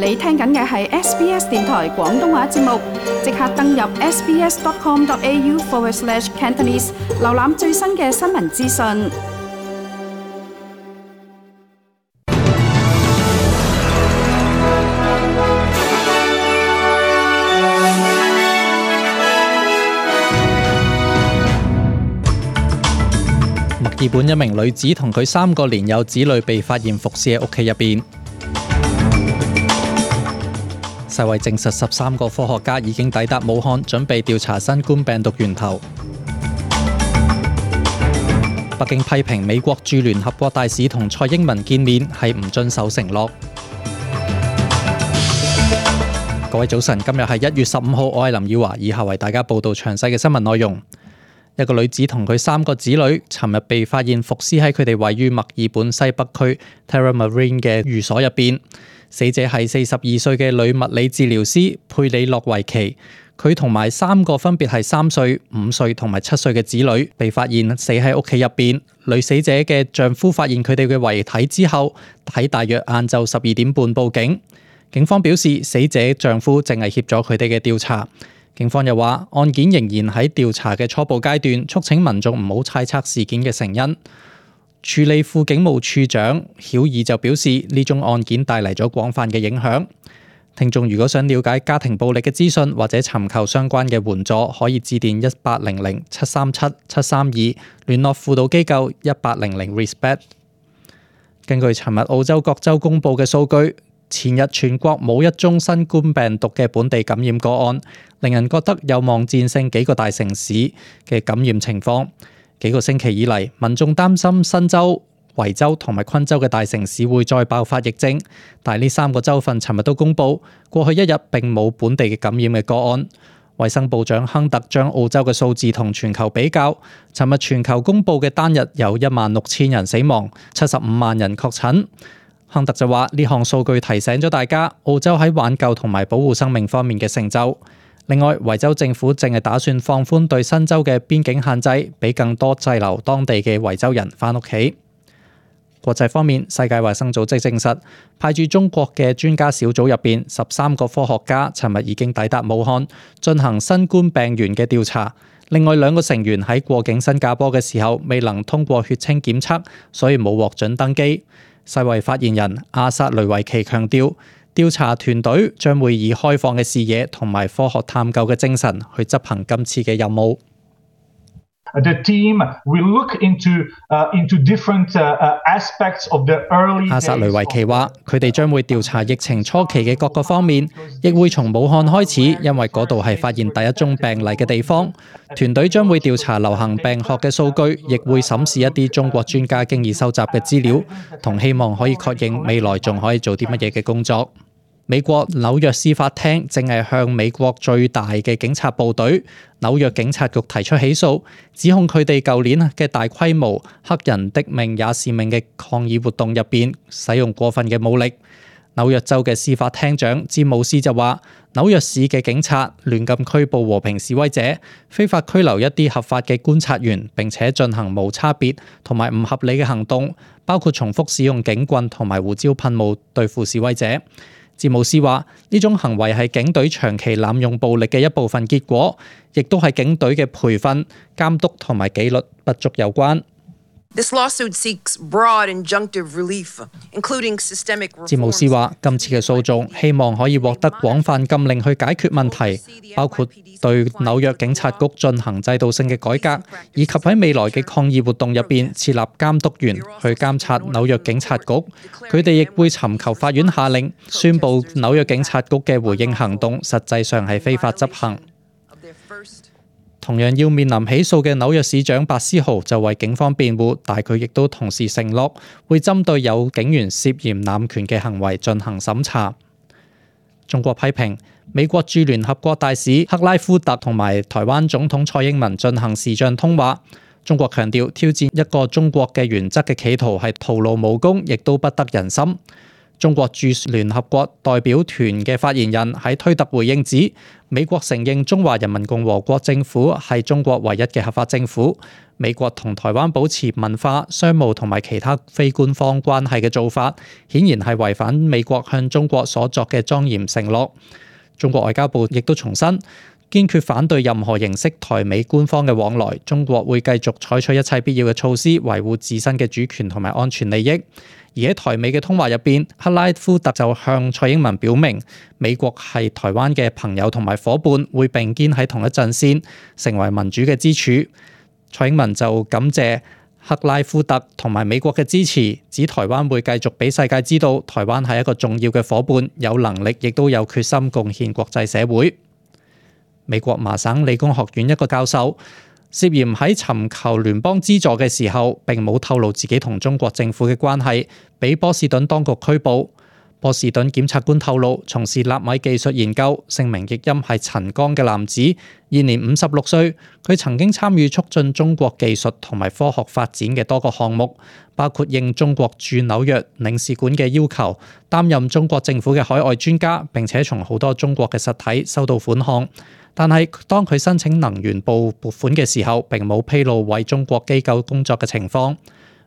你聽緊嘅係 SBS 電台廣東話節目，即刻登入 sbs.com.au/Cantonese 瀏覽最新嘅新聞資訊。墨爾本一名女子同佢3個年幼子女被發現伏屍喺屋企入邊。世衛證實13個科學家已經抵達武漢，準備調查新冠病毒源頭。北京批評美國駐聯合國大使同蔡英文見面係唔遵守承諾。各位早晨，今日係1月15號，我係林耀華，以下為大家報道詳細嘅新聞內容。一個女子同佢3個子女尋日被發現伏屍喺佢哋位於墨爾本西北區 Tullamarine 嘅寓所入邊。死者係42歲嘅女物理治療師佩里諾維奇，佢同埋3個分別係3歲、5歲同埋7歲嘅子女被發現死喺屋企入邊。女死者嘅丈夫發現佢哋嘅遺體之後，喺大約晏晝12點半報警。警方表示，死者丈夫正係協助佢哋嘅調查。警方又話，案件仍然喺調查嘅初步階段，促請民眾唔好猜測事件嘅成因。處理副警務處長曉爾就表示，呢宗案件帶嚟咗廣泛嘅影響。聽眾如果想了解家庭暴力嘅資訊或者尋求相關嘅援助，可以致電1800-737-732，聯絡輔導機構1800-RESPECT。根據尋日澳洲各州公佈嘅數據，前日全國冇一宗新冠病毒嘅本地感染個案，令人覺得有望戰勝幾個大城市嘅感染情況。幾個星期以嚟，民眾擔心新州、維州同埋昆州嘅大城市會再爆發疫症，但係呢3個州份尋日都公佈，過去一日並冇本地嘅感染嘅個案。衛生部長亨特將澳洲嘅數字同全球比較，尋日全球公佈嘅單日有16,000人死亡，75萬人確診。亨特就話，呢項數據提醒咗大家澳洲喺挽救同埋保護生命方面嘅成就。另外，維州政府正係打算放寬對新州嘅邊境限制，俾更多滯留當地嘅維州人返屋企。國際方面，世界衛生組織證實，派駐中國嘅專家小組入邊13個科學家尋日已經抵達武漢，進行新冠病原嘅調查。另外2個成員喺過境新加坡嘅時候未能通過血清檢測，所以冇獲准登機。世衛發言人阿薩雷維奇強調，調查團隊將會以開放嘅視野同埋科學探究嘅精神去執行今次嘅任務。The team will look into different aspects of the early days. 阿薩雷維奇話，佢哋將會調查疫情初期嘅各個方面，亦會從武漢開始，因為嗰度係發現第一宗病例嘅地方。團隊將會調查流行病學嘅數據，亦會審視一啲中國專家經已收集嘅資料，同希望可以確認未來仲可以做啲乜嘢嘅工作。美國紐約司法廳正係向美國最大嘅警察部隊紐約警察局提出起訴，指控佢哋舊年嘅大規模黑人的命也是命嘅抗議活動入邊使用過分嘅武力。紐約州嘅司法廳長詹姆斯就話，紐約市嘅警察亂禁拘捕和平示威者，非法拘留一啲合法嘅觀察員，並且進行無差別同埋唔合理嘅行動，包括重複使用警棍同埋胡椒噴霧對付示威者。詹姆斯話，呢種行為係警隊長期濫用暴力嘅一部分結果，亦都係警隊嘅培訓、監督同埋紀律不足有關。This lawsuit seeks broad injunctive relief, including systemic reforms. 詹姆斯話，今次嘅訴訟希望可以獲得廣泛禁令去解決問題，包括對紐約警察局進行制度性嘅改革，以及喺未來嘅抗議活動入邊設立監督員去監察紐約警察局。佢哋亦會尋求法院下令，宣布紐約警察局嘅回應行動實際上係非法執行。同樣要面臨起訴嘅紐約市長白思豪就為警方辯護，但佢亦都同時承諾會針對有警員涉嫌濫權嘅行為進行審查。中國批評美國駐聯合國大使克拉夫特同埋台灣總統蔡英文進行視像通話。中國強調挑戰一個中國嘅原則嘅企圖係徒勞無功，亦都不得人心。中國駐聯合國代表團嘅發言人喺推特回應指，美國承認中華人民共和國政府係中國唯一嘅合法政府。美國同台灣保持文化、商務同埋其他非官方關係嘅做法，顯然係違反美國向中國所作嘅莊嚴承諾。中國外交部亦都重申，堅決反對任何形式台美官方嘅往來，中國會繼續採取一切必要嘅措施，維護自身嘅主權同埋安全利益。而喺台美嘅通話入邊，克拉夫特就向蔡英文表明，美國係台灣嘅朋友同埋夥伴，會並肩喺同一陣線，成為民主嘅支柱。蔡英文就感謝克拉夫特同埋美國嘅支持，指台灣會繼續俾世界知道，台灣係一個重要嘅夥伴，有能力亦都有決心貢獻國際社會。美國麻省理工學院一個教授涉嫌喺尋求聯邦資助嘅時候，並冇透露自己同中國政府嘅關係，被波士頓當局拘捕。波士頓檢察官透露，從事納米技術研究，姓名譯音係陳剛嘅男子，現年56歲。佢曾經參與促進中國技術同埋科學發展嘅多個項目，包括應中國駐紐約領事館嘅要求，擔任中國政府嘅海外專家，並且從好多中國嘅實體收到款項。但係當佢申請能源部撥款嘅時候，並冇披露為中國機構工作嘅情況。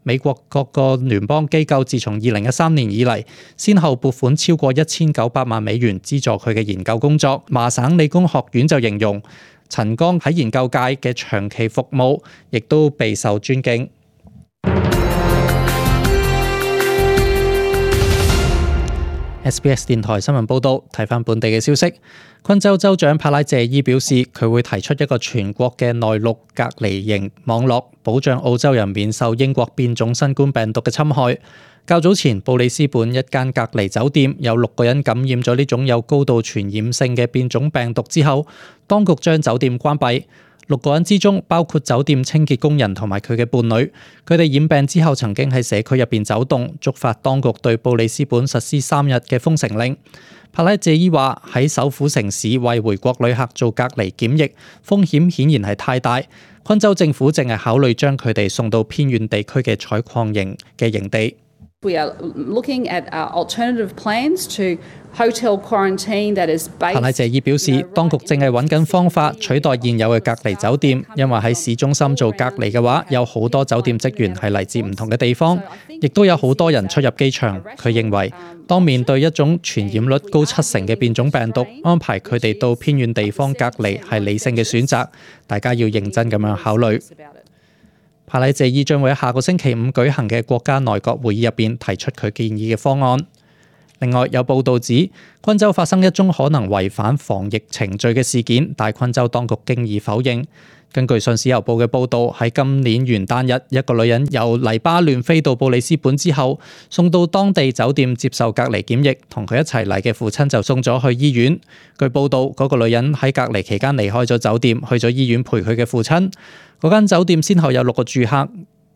美國各個聯邦機構自從2013年以嚟，先後撥款超過1900萬美元資助佢嘅研究工作。麻省理工學院就形容陳剛喺研究界嘅長期服務，亦都備受尊敬。SBS 電台新聞報導，睇返本地嘅消息。昆州州長帕拉謝伊表示，佢會提出一個全國嘅內陸隔離營網絡，保障澳洲人免受英國變種新冠病毒嘅侵害。較早前，布里斯本一間隔離酒店有6個人感染咗呢種有高度傳染性嘅變種病毒之後，當局將酒店關閉。6個人之中包括酒店清潔工人同埋佢嘅伴侶，佢哋染病之後曾經喺社區入邊走動，觸發當局對布里斯本實施3日嘅封城令。帕拉謝伊話喺首府城市為回國旅客做隔離檢疫，風險顯然係太大。昆州政府正係考慮將佢哋送到偏遠地區嘅採礦營嘅營地。We are looking at alternative plans to hotel quarantine that is based. 帕拉謝伊表示，當局正係揾緊方法取代現有嘅隔離酒店，因為喺市中心做隔離嘅話，有好多酒店職員係嚟自唔同嘅地方，亦都有好多人出入機場。佢認為，當面對一種傳染率高70%嘅變種病毒，安排佢哋到偏遠地方隔離係理性嘅選擇，大家要認真咁樣考慮。帕拉謝伊將會喺下個星期5舉行嘅國家內閣會議入邊提出佢建議嘅方案。另外有報道指，昆州發生一宗可能違反防疫程序嘅事件，但昆州當局經已否認。根據《信使郵報》嘅報導，喺今年元旦日，一個女人由黎巴嫩飛到布里斯本之後，送到當地酒店接受隔離檢疫，同佢一齊嚟嘅父親就送咗去醫院。據報導，嗰個女人喺隔離期間離開咗酒店，去咗醫院陪佢嘅父親。嗰間酒店先後有6個住客、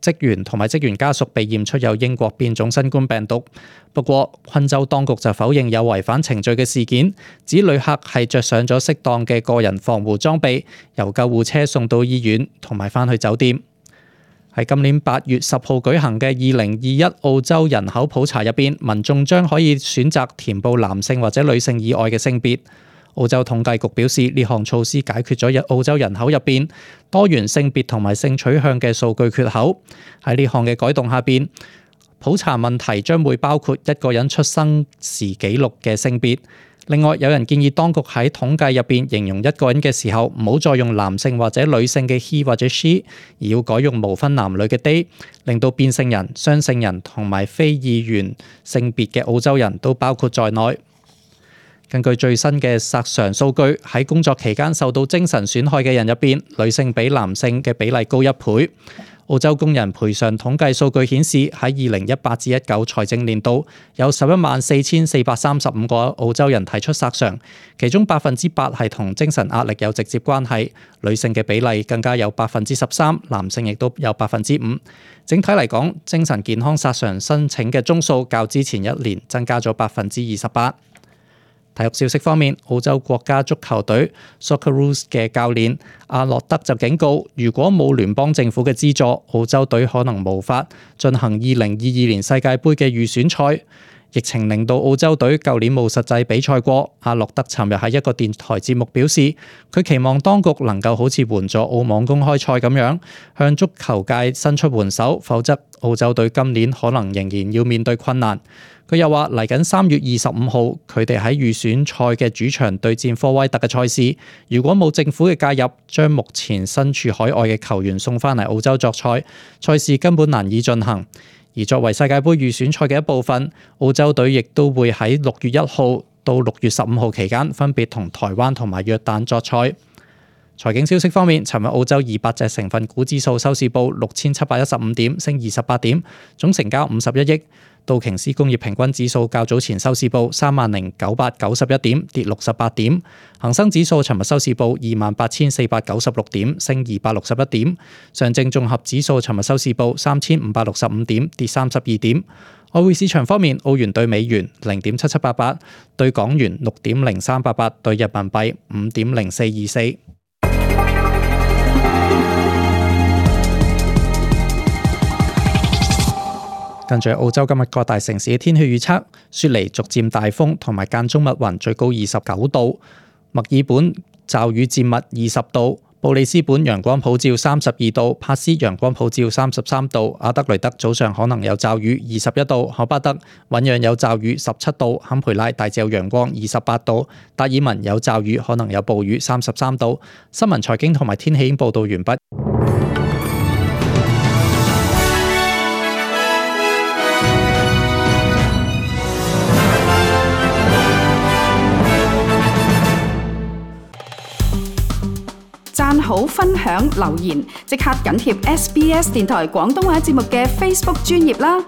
職員同埋職員家屬被驗出有英國變種新冠病毒。不過，昆州當局就否認有違反程序嘅事件，指旅客係着上咗適當嘅個人防護裝備，由救護車送到醫院同埋返去酒店。喺今年8月10號舉行嘅2021澳洲人口普查入邊，民眾將可以選擇填報男性或者女性以外嘅性別。澳洲統計局表示，呢項措施解決咗澳洲人口入邊多元性別同埋性取向嘅數據缺口。喺呢項嘅改動下邊，普查問題將會包括一個人出生時記錄嘅性別。另外，有人建議當局喺統計入邊形容一個人嘅時候，唔好再用男性或者女性嘅 he 或者 she， 而要改用無分男女嘅 they， 令到變性人、雙性人同埋非二元性別嘅澳洲人都包括在內。根據最新嘅索償數據，喺工作期間受到精神損害嘅人入邊，女性比男性嘅比例高1倍。澳洲工人賠償統計數據顯示，喺2018至19財政年度，有114,435個澳洲人提出索償，其中8%係同精神壓力有直接關係，女性嘅比例更加有13%，男性亦都有5%。整體嚟講，精神健康索償申請嘅宗數較之前一年增加咗28%。體育消息方面，澳洲國家足球隊 Socceroos 嘅教練阿諾德就警告，如果冇聯邦政府嘅資助，澳洲隊可能無法進行2022年世界盃嘅預選賽。疫情令到澳洲隊舊年冇實際比賽過。阿諾德尋日喺一個電台節目表示，佢期望當局能夠好似援助澳網公開賽咁樣，向足球界伸出援手，否則澳洲隊今年可能仍然要面對困難。佢又話嚟緊3月25號，佢哋喺預選賽嘅主場對戰科威特嘅賽事，如果冇政府嘅介入，將目前身處海外嘅球員送翻嚟澳洲作賽，賽事根本難以進行。而作為世界盃預選賽嘅一部分，澳洲隊亦都會喺6月1號到6月15號期間分別同台灣同埋約旦作賽。財經消息方面，尋日澳洲200隻成分股指數收市報6715點，升28點，總成交51億。道瓊斯工業平均指數較早前收市報30991點，跌68點。恒生指數尋日收市報28496點，升261點。上證綜合指數尋日收市報3565點，跌32點。外匯市場方面，澳元對美元0.7788，對港元6.0388，對人民幣5.0424。跟住澳洲今日各大城市嘅天氣預測，雪梨逐漸大風同埋間中密雲，最高29度；墨爾本驟雨漸密20度；布里斯本陽光普照32度；帕斯陽光普照33度；阿德雷德早上可能有驟雨21度；荷巴德醞釀有驟雨17度；坎培拉大致有陽光28度；達爾文有驟雨可能有暴雨33度。新聞財經同埋天氣已經報道完畢。讚好、分享、留言，即刻緊貼SBS 電台廣東話節目嘅 Facebook 專頁啦！